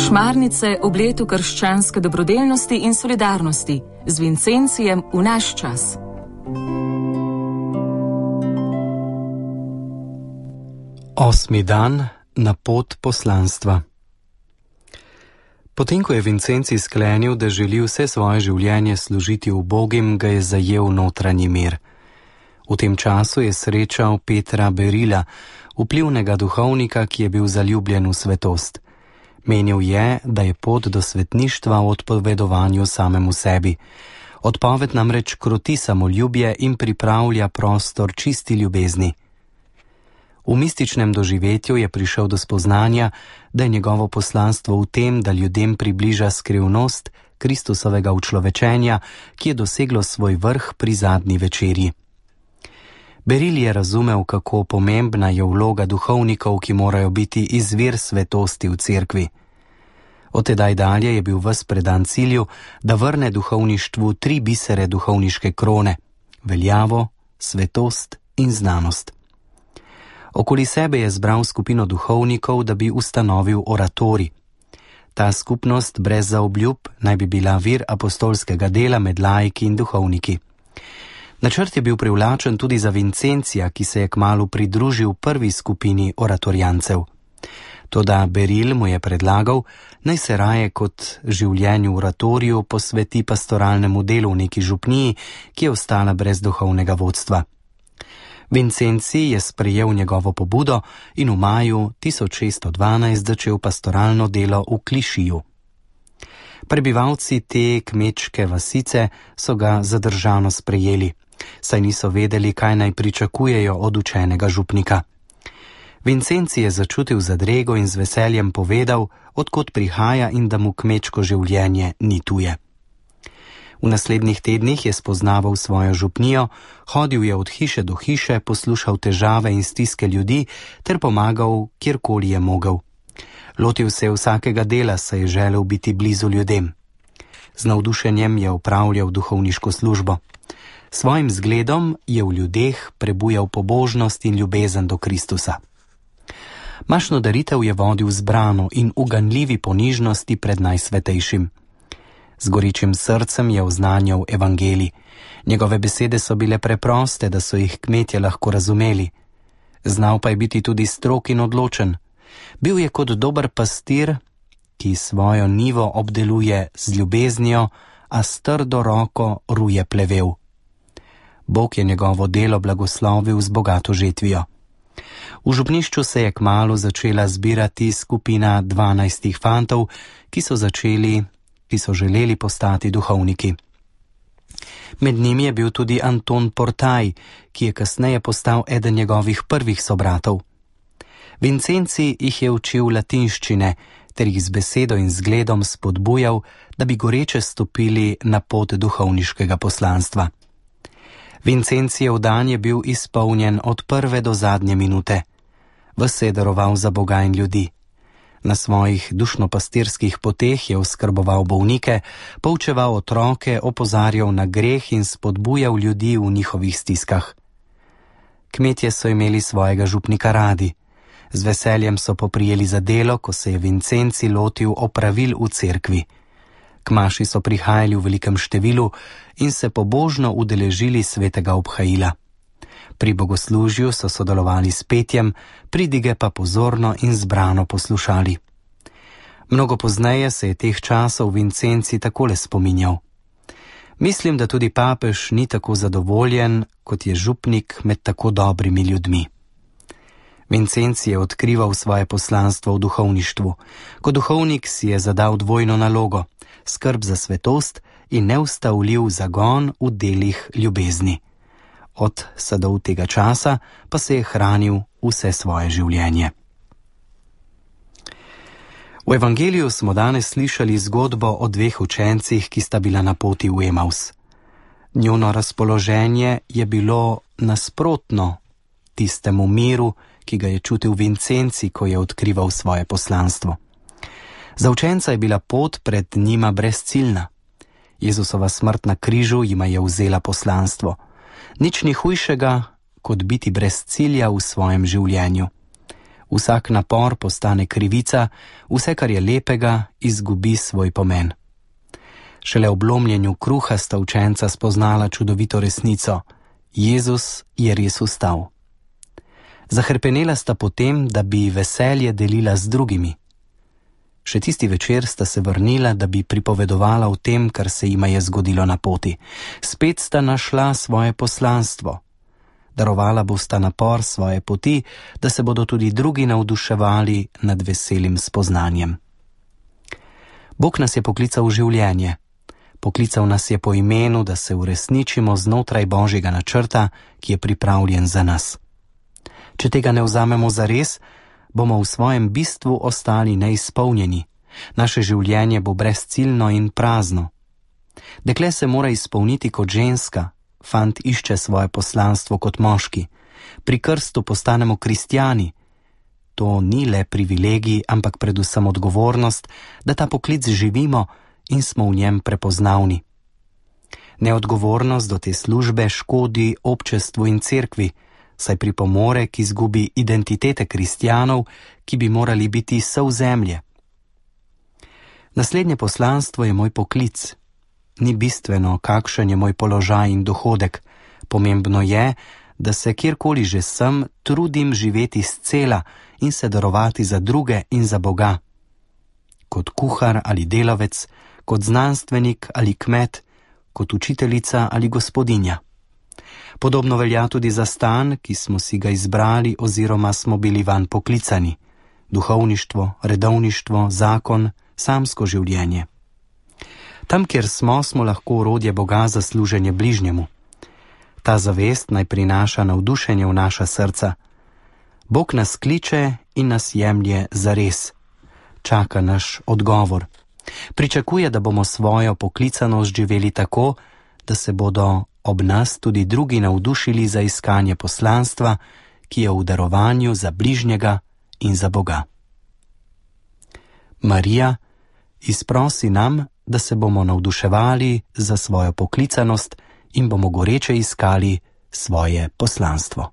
Šmarnice ob letu krščanske dobrodelnosti in solidarnosti z Vincencijem v naš čas. Osmi dan na pot poslanstva. Potem, ko je Vincencij sklenil, da želi vse svoje življenje služiti ubogim, ga je zajel notranji mir. V tem času je srečal Petra Berila, vplivnega duhovnika, ki je bil zaljubljen v svetost. Menil je, da je pot do svetništva v odpovedovanju samemu sebi. Odpoved namreč kroti samoljubje in pripravlja prostor čisti ljubezni. V mističnem doživetju je prišel do spoznanja, da je njegovo poslanstvo v tem, da ljudem približa skrivnost Kristusovega učlovečenja, ki je doseglo svoj vrh pri zadnji večerji. Beril je razumel, kako pomembna je vloga duhovnikov, ki morajo biti izvir svetosti v cerkvi. Od tedaj dalje je bil ves predan cilju, da vrne duhovništvu 3 bisere duhovniške krone: veljavo, svetost in znanost. Okoli sebe je zbral skupino duhovnikov, da bi ustanovil oratorij. Ta skupnost brez zaobljub naj bi bila vir apostolskega dela med laiki in duhovniki. Načrt je bil privlačen tudi za Vincencija, ki se je kmalu pridružil prvi skupini oratorijancev. Toda Beril mu je predlagal, naj se raje kot življenju v oratoriju posveti pastoralnemu delu v neki župniji, ki je ostala brez duhovnega vodstva. Vincencij je sprejel njegovo pobudo in v maju 1612 začel pastoralno delo v Klišiju. Prebivalci te kmečke vasice so ga zadržano sprejeli, saj niso vedeli, kaj naj pričakujejo od učenega župnika. Vincencij je začutil zadrego in z veseljem povedal, odkot prihaja in da mu kmečko življenje ni tuje. V naslednjih tednih je spoznaval svojo župnijo, hodil je od hiše do hiše, poslušal težave in stiske ljudi ter pomagal, kjerkoli je mogel. Lotil se je vsakega dela, saj je želel biti blizu ljudem. Z navdušenjem je opravljal duhovniško službo. Svojim zgledom je v ljudeh prebujal pobožnost in ljubezen do Kristusa. Mašno daritev je vodil zbrano in v ganljivi ponižnosti pred najsvetejšim. Z goričim srcem je oznanjal evangelij. Njegove besede so bile preproste, da so jih kmetje lahko razumeli. Znal pa je biti tudi strog in odločen. Bil je kot dober pastir, ki svojo njivo obdeluje z ljubeznijo, a s trdo roko ruje plevel. Bog je njegovo delo blagoslovil z bogato žetvijo. V župnišču se je kmalu začela zbirati skupina 12 fantov, ki so želeli postati duhovniki. Med njimi je bil tudi Anton Portaj, ki je kasneje postal eden njegovih prvih sobratov. Vincencij jih je učil latinščine ter jih z besedo in zgledom spodbujal, da bi goreče stopili na pot duhovniškega poslanstva. Vincencijev dan je bil izpolnjen od prve do zadnje minute. Ves se je daroval za Boga in ljudi. Na svojih dušnopastirskih poteh je oskrboval bolnike, poučeval otroke, opozarjal na greh in spodbujal ljudi v njihovih stiskah. Kmetje so imeli svojega župnika radi. Z veseljem so poprijeli za delo, ko se je Vincencij lotil opravil v cerkvi. Kmaši so prihajali v velikem številu in se pobožno udeležili svetega obhajila. Pri bogoslužju so sodelovali s petjem, pridige pa pozorno in zbrano poslušali. Mnogo pozneje se je teh časov Vincencij takole spominjal. Mislim, da tudi papež ni tako zadovoljen, kot je župnik med tako dobrimi ljudmi. Vincencij je odkrival svoje poslanstvo v duhovništvu. Kot duhovnik si je zadal dvojno nalogo: skrb za svetost in neustavljiv zagon v delih ljubezni. Od sadov tega časa pa se je hranil vse svoje življenje. V evangeliju smo danes slišali zgodbo o 2 učencih, ki sta bila na poti v Emaus. Njuno razpoloženje je bilo nasprotno tistemu miru, ki ga je čutil Vincencij, ko je odkrival svoje poslanstvo. Za učenca je bila pot pred njima brezciljna. Jezusova smrt na križu jima je vzela poslanstvo. Nič ni hujšega, kot biti brez cilja v svojem življenju. Vsak napor postane krivica, vse, kar je lepega, izgubi svoj pomen. Šele ob lomljenju kruha sta učenca spoznala čudovito resnico. Jezus je res vstal. Zahrpenela sta potem, da bi veselje delila z drugimi. Še tisti večer sta se vrnila, da bi pripovedovala o tem, kar se jima je zgodilo na poti. Spet sta našla svoje poslanstvo. Darovala bosta napor svoje poti, da se bodo tudi drugi navduševali nad veselim spoznanjem. Bog nas je poklical v življenje. Poklical nas je po imenu, da se uresničimo znotraj Božjega načrta, ki je pripravljen za nas. Če tega ne vzamemo zares, bomo v svojem bistvu ostali neizpolnjeni. Naše življenje bo brezciljno in prazno. Dekle se mora izpolniti kot ženska, fant išče svoje poslanstvo kot moški. Pri krstu postanemo kristjani. To ni le privilegij, ampak predvsem odgovornost, da ta poklic živimo in smo v njem prepoznavni. Neodgovornost do te službe škodi občestvu in cerkvi, saj pripomore k izgubi identitete kristjanov, ki bi morali biti sol zemlje. Naslednje poslanstvo je moj poklic. Ni bistveno, kakšen je moj položaj in dohodek. Pomembno je, da se kjerkoli že sem, trudim živeti scela in se darovati za druge in za Boga. Kot kuhar ali delavec, kot znanstvenik ali kmet, kot učiteljica ali gospodinja. Podobno velja tudi za stan, ki smo si ga izbrali oziroma smo bili vanj poklicani. Duhovništvo, redovništvo, zakon, samsko življenje. Tam, kjer smo lahko orodje Boga za služenje bližnjemu. Ta zavest naj prinaša navdušenje v naša srca. Bog nas kliče in nas jemlje zares. Čaka naš odgovor. Pričakuje, da bomo svojo poklicanost živeli tako, da se bodo ob nas tudi drugi navdušili za iskanje poslanstva, ki je v darovanju za bližnjega in za Boga. Marija, izprosi nam, da se bomo navduševali za svojo poklicanost in bomo goreče iskali svoje poslanstvo.